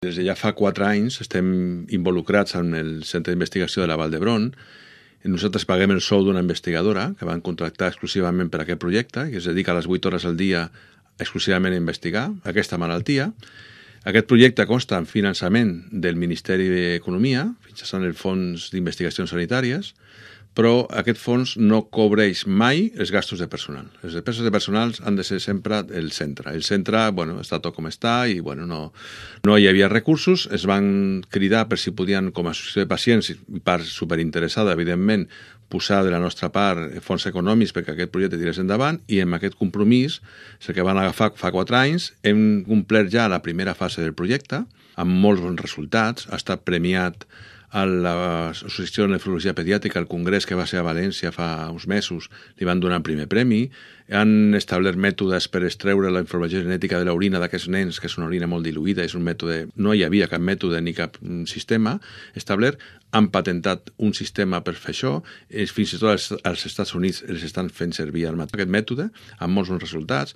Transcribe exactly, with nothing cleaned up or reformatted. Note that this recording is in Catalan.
Des de ja fa quatre anys estem involucrats en el Centre d'Investigació de la Vall d'Hebron. Nosaltres paguem el sou d'una investigadora que van contractar exclusivament per a aquest projecte, que es dedica a les vuit hores al dia exclusivament a investigar aquesta malaltia. Aquest projecte consta en finançament del Ministeri d'Economia, mitjançant el Fons d'Investigacions Sanitàries, però aquest fons no cobreix mai els gastos de personal. Les despeses de personal han de ser sempre el centre. El centre, bueno, està tot com està i bueno, no, no hi havia recursos. Es van cridar per si podien, com a associació de pacients, i part superinteressada, evidentment, posar de la nostra part fons econòmics perquè aquest projecte tirés endavant, i amb aquest compromís, el que van agafar fa quatre anys, hem complert ja la primera fase del projecte, amb molts bons resultats. Ha estat premiat a l'Associació de Nefrologia Pediàtrica, al congrés que va ser a València fa uns mesos, li van donar el primer premi. Han establert mètodes per extreure la informació genètica de l'orina d'aquests nens, que és una orina molt diluïda, és un mètode, no hi havia cap mètode ni cap sistema establert. Han patentat un sistema per fer això, fins i tot als, als Estats Units els estan fent servir aquest mètode, amb molts bons resultats.